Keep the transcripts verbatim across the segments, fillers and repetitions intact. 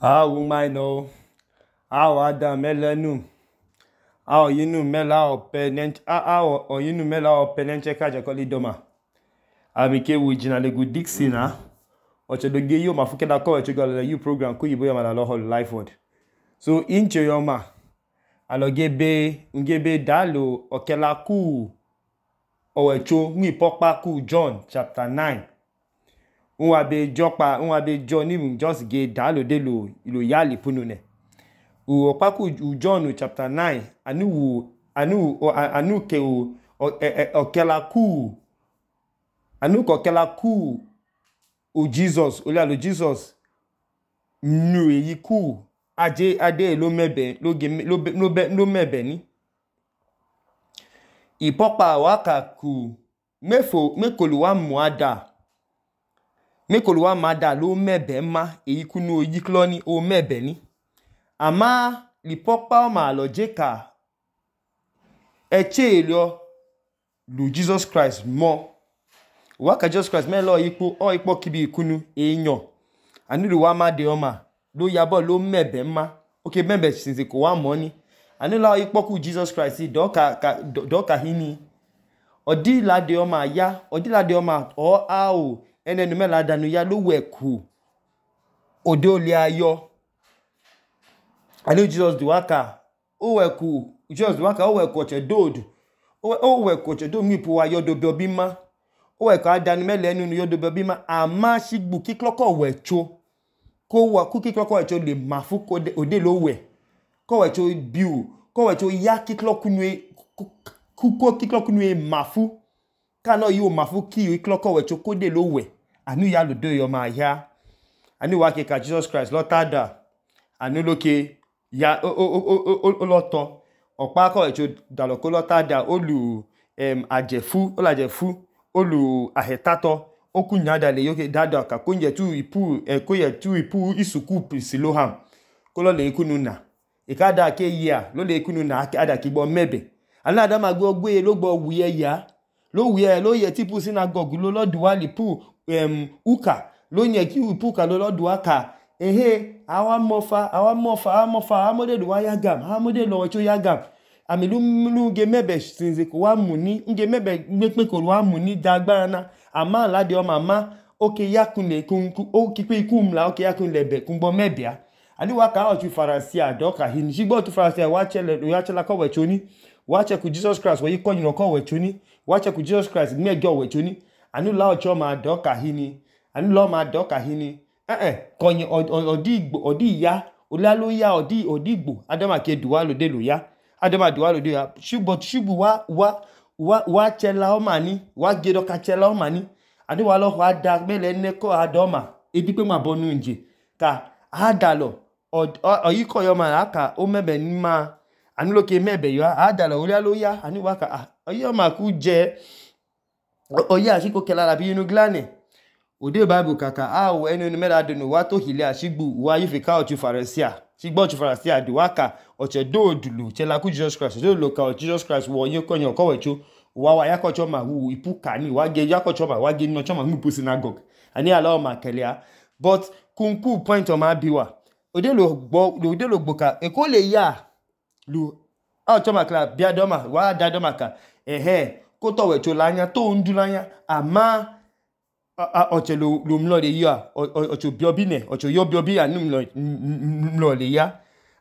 Awu maino, awu ada melenu, awu yinu mela ope nench, awu oyinu mela ope nenche kaje kolidoma. Amike wujina legu Dixie na. Oche doge yo mafuke da kowe chugo le you program ku yibo yoma la loho life word. So inche yoma alogebe ngebe dalo okela ku owecho ngi pokpa ku John chapter nine. Unwa be jokpa, unwa be John just ge dalo de lo ilo yali punune. U okpa ku John chapter nine anu anu anu ke o okela ku anu ko okela ku o Jesus, ole alo Jesus nu eyi ku aje ade lo mebe lo ge lo lo lo mebe ni. Ipokpa waka ku mefo mekolu wa muada mekolu wa mada lo mebe ma eyi kunu oyi kloni o mebe ni. Ama lipokpa ma lo jeka eche elio lu Jesus Christ mo. Waka Jesus Christ me lo ipo o ipo kibi kunu enyo. Anilu wa ma de oma lo yabo lo mebe ma. Okay, mebe since ko wa mo ni. Anila ipo ku Jesus Christ doka ka doka hini. Odi la de oma ya, odi la de oma o ao ene nume la danu ya lo weku. Ode oli ayo. Anu Jesus do waka o weku, Jesus do waka o weku oche dodu. O weku oche do mi po ayo do biobima. O weku adanu mele enu yo do biobima ama shigbu kikloko wecho. Ko wa ku kikloko wecho le mafu ko ode lo we. Ko wecho biu, ko wecho ya kikloko nwe kuko kikloko nwe mafu. Kano yu mafu ki yu kikloko wecho ko de lo we. Anu ya lo do yo ma ya. Anu wake ka Jesus Christ lo tada. Anu loke ya o o o o o loto. Okpa ko wecho dalo ko lo tada olu em ajefu, ola ajefu, olu ahetato. Oku nyada le yoke dada ka kunje tu ipu e koye tu ipu isuku siloham. Kolo le ikunu na. Ikada ke ya lo le ikunu na ada ki bo mebe. Anu adama gbo gbe lo gbo wuye ya. Lo wuye lo ye tipu synagogue lo lo duwa lipu em uka. Lo nye ki ipu ka lo lo duwa ka. Ehe, awa mofa, awa mofa, awa mofa, awa mode duwa yagam, awa mode lo wecho yagam. Ami lu lu nge mebe sinze ko wa muni, nge mebe ngekpe ko wa muni dagba na. Ama la de o mama oke yakune kun o kipe ikumla oke yakune be kumbo mebia. Ani waka o tu farasia doka hin. Shigbo tu farasia wachele lo yachela ko wechoni. Wache ku Jesus Christ wo yiko nyino ko wechoni. Wache ku Jesus Christ megyo wechoni. Anu la ocho ma doka hini. Anu lo ma doka hini. Eh eh konyi odi igbo odi ya. Ola lo ya odi odi igbo. Adama ke duwa lo de lo ya. Adama duwa lo de ya. Shigbo shigbo wa wa wa wa chela o mani. Wa gedo ka chela o mani. Adu wa lo wa da mele neko adoma. Ebi pe ma bonu nje. Ka adalo oyiko yo ma aka o mebe ni ma. Anu loke mebe yo adalo ola lo ya. Anu waka ah oyo ma ku je oya ashiko kela la bi inu glane. Ode Bible kaka awo enu ni mela dunu wa to hile ashigbu wa yifika ochu farasia. Shigbo ochu farasia du waka oche do dulu chela ku Jesus Christ. Do lo ka Jesus Christ wo yin konyo ko wecho wa wa yakocho ma wu ipu kani wa ge yakocho ma wa ge no choma mu pu synagogue. Ani ala ma kelia. But kunku point o ma biwa. Ode lo gbo ode lo gboka e ko le ya lu a choma kla bia doma wa da doma ka ehe ko to wecho lanya to ndu lanya ama oche lo lo mlo le ya ocho biobi ne ocho yo biobi anu mlo mlo le ya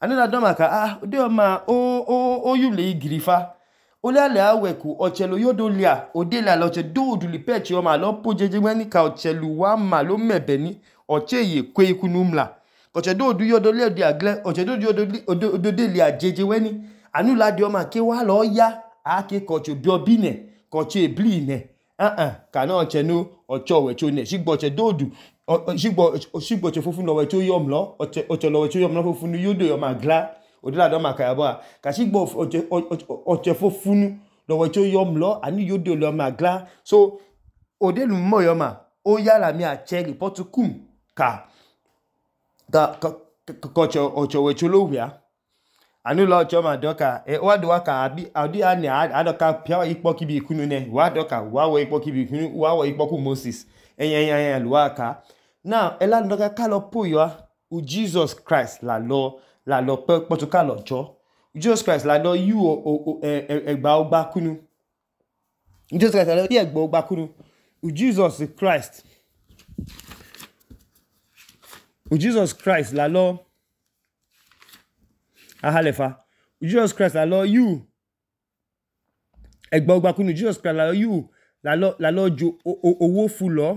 anu da doma ka ah ode o ma o o o yu le igrifa ole ale aweku oche lo yodo lia ode la lo che do du li pechi o ma lo pojeje weni ka oche lu wa ma lo mebe ni oche ye kwe ikunu mla oche do du yodo le di agle oche do yodo odo de lia jeje weni anu la di o ma ke wa lo ya ake ko cho biobi ne ko che bli ne ah ah kana oche no ocho wecho ne shigbo oche do du shigbo shigbo che fofun lo wecho yom lo oche oche lo wecho yom lo fofun yodo yo ma gla odila do ma ka yabo ka shigbo oche oche fofun lo wecho yom lo ani yodo lo ma gla so odelu mo yo ma o yala mi a cheli potukum ka ka ka ocho ocho wecho lo wia anu lo ocho ma doka e wa do waka abi adi ani adoka pia ipo kibi ikunu ne wa doka wa wo ipo kibi ikunu wa wo ipo ku Moses eyan eyan eyan lo waka now ela doka ka lo po yo u Jesus Christ la lo la lo kpọtu kalọ chọ Jesus Christ la lo yu ẹgba ọgba kunu Jesus Christ la lo yu ẹgba ọgba kunu u Jesus Christ u Jesus Christ la lo ahalefa u Jesus Christ la lo yu ẹgba ọgba kunu Jesus Christ la lo yu la lo la lo jo owó fu lọ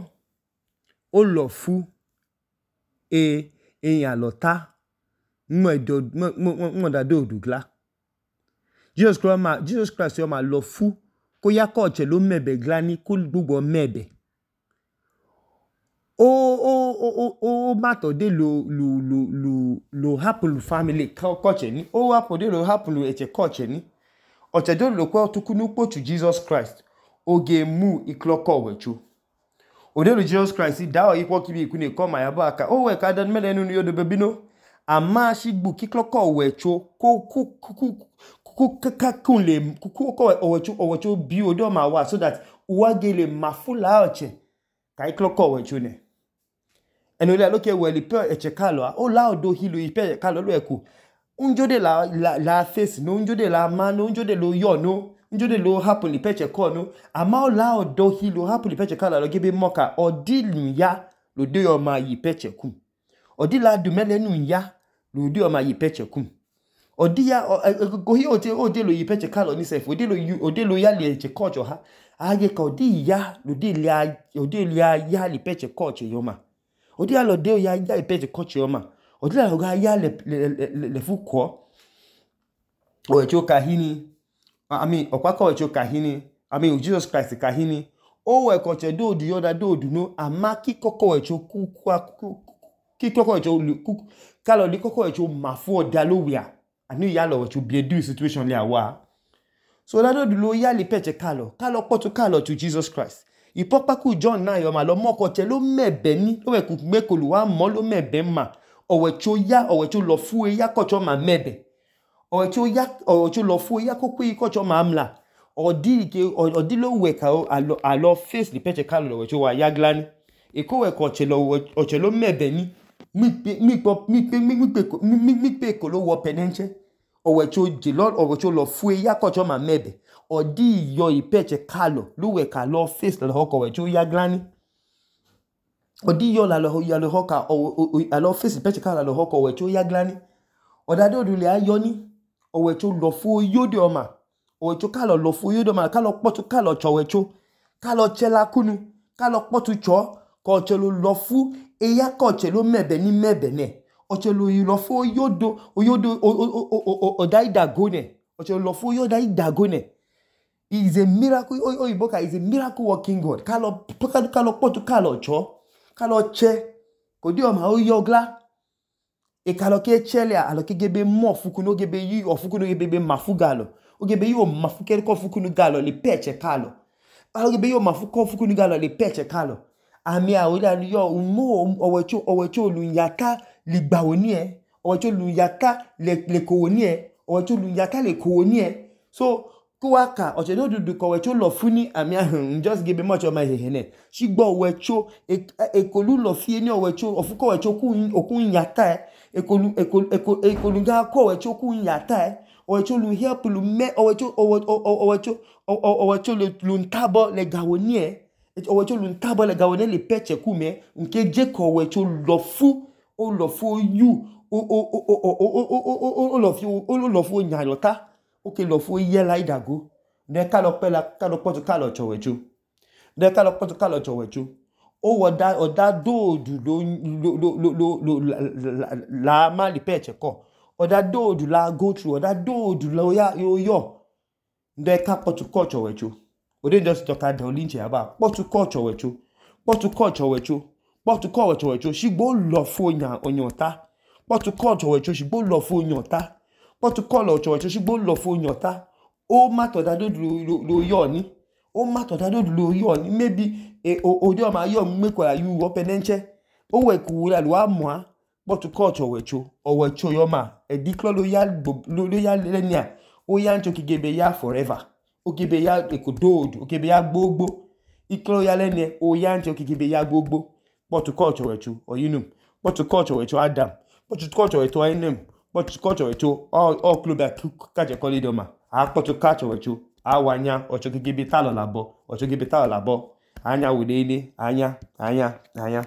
ó lọ fu e eyan lọta mo edo mo mo da do odugla Jesus Christ ma Jesus Christ yo ma lọ fu kó yá kọ che ló mẹbẹ glani kó gbogbo mẹbẹ o o o o matter de lo lo lo lo lo happen family kọ che ni o happen de lo happen eche kọ che ni oche do lo ko tukunu po to Jesus Christ oge mu ikloko wechu odelo Jesus Christ da o ipo kibi ikune ko ma yabo aka o we ka dan mele nu yodo bebino ama shigbu kikloko wechu ko ko ko ka kunle ko ko owechu owechu bi odo ma wa so that uwagele mafula oche ka ikloko wechu ne eno le loke we lipe eche kalo o la odo hilo ipe kalo lo eku unjode la la, la face no unjode la man no unjode lo yo no njode lo happen li peche ko no ama o la odo hi lo happen li peche kala lo gebe moka odilu ya lo de yo ma yi peche kum odila du mele nu ya lo de yo ma yi peche kum odia go hi o te o de lo yi peche kala ni sef odi lo odi lo ya le che kocho ha age ka odi ya lo de le odi le ya li peche kocho yo ma odi ya lo de ya ya li peche kocho yo ma odi la lo ga ya le le le fu ko o echo kahini I mean, okwako echo kahini. I mean, Jesus Christ kahini. O we koche do du yoda do du no ama ki koko echo ku ku ki koko echo ku kalo li koko echo mafu odalowia. Ani ya lo echo be do situation le awa. So la do du lo ya li peche kalo. Kalo poto kalo to Jesus Christ. Ipopa ku John na yo ma lo mo koche lo mebe ni. Lo we ku mekolu wa mo lo mebe ma. O we cho ya o we cho lo fu e ya kocho ma mebe. Ocho ya ocho lo fu ya ko pe ko cho mamla odi ke odi lo we ka alo alo face the peche kalo lo ocho wa ya glani e ko we ko che lo ocho lo mebe ni mi pe mi po mi pe mi pe mi mi pe ko lo wo penenche o we cho je lo o ocho lo fu ya ko cho ma mebe odi yo i peche kalo lo we ka lo face lo ko we cho ya glani odi yo la lo ya lo ka o alo face peche kalo lo ko we cho ya glani odado du le ayo ni owecho lo fu yode oma owecho kalo lo fu yode oma kalo potu kalo chowecho kalo chela kunu kalo potu cho ko chelo lo fu eya ko chelo mebe ni mebe ne o chelo lo fu yodo oyodo o daida gone o chelo lo fu yoda idagone is a miracle o iboka is a miracle working God kalo kalo potu kalo cho kalo che ko di oma o yogla e kalo ke chele alo ke gebe mo fukuno gebe yi o fukuno gebe be mafugalo o gebe yi o mafukere ko fukuno galo le peche kalo alo gebe yi o mafuko fukuno galo le peche kalo ami a o da yo mo owecho owecho lu yaka ligba oni e owecho lu yaka le le ko oni e owecho lu yaka le ko oni e so kuwaka o che do du ko wecho lo funi ami a just gebe mo cho ma hehene shigbo wecho e kolu lo fie ni owecho ofuko wecho ku okun yaka ekolu ekolu ekolu ga ko wecho ku yata e owecho lu help lu me owecho owecho owecho lu ntabo le gawoni e owecho lu ntabo le gawoni le peche ku me nke je ko wecho lo fu o lo fu you o o o o o lo fu o lo fu nyalota o ke lo fu ye la idago de ka lo pela ka lo poto ka lo chowecho de ka lo poto ka lo chowecho o woda oda do du lo lo lo lo la ma li peche ko oda do du la go through oda do du lo ya yo yo de ka potu ko chowecho o de just talk ada olinche aba potu ko chowecho potu ko chowecho potu ko chowecho shigbo lo fo yan onyota potu ko chowecho shigbo lo fo yanta potu ko lo chowecho shigbo lo fo yanta o ma to da do du lo yo ni o ma to da do du lo yo ni maybe e odi o ma yo mmekwa yu wo penenche o we ku la lo amwa potu ko chowecho o wecho yo ma e diklo lo ya lo ya lenia o ya ncho kigebe ya forever o gebe ya ekododu o gebe ya gbogbo iklo ya lenie o ya ncho kigebe ya gbogbo potu ko chowecho oyinu potu ko chowecho Adam kpọchuchukwu ọchọwọicho ainem kpọchuchukwu ọchọwọicho ọklobia kachẹ idọma aakpọchu kachọwọicho awanya ọchọgege bi talọ labọ ọchọgebe talọ labọ anya wẹdene anya anya anya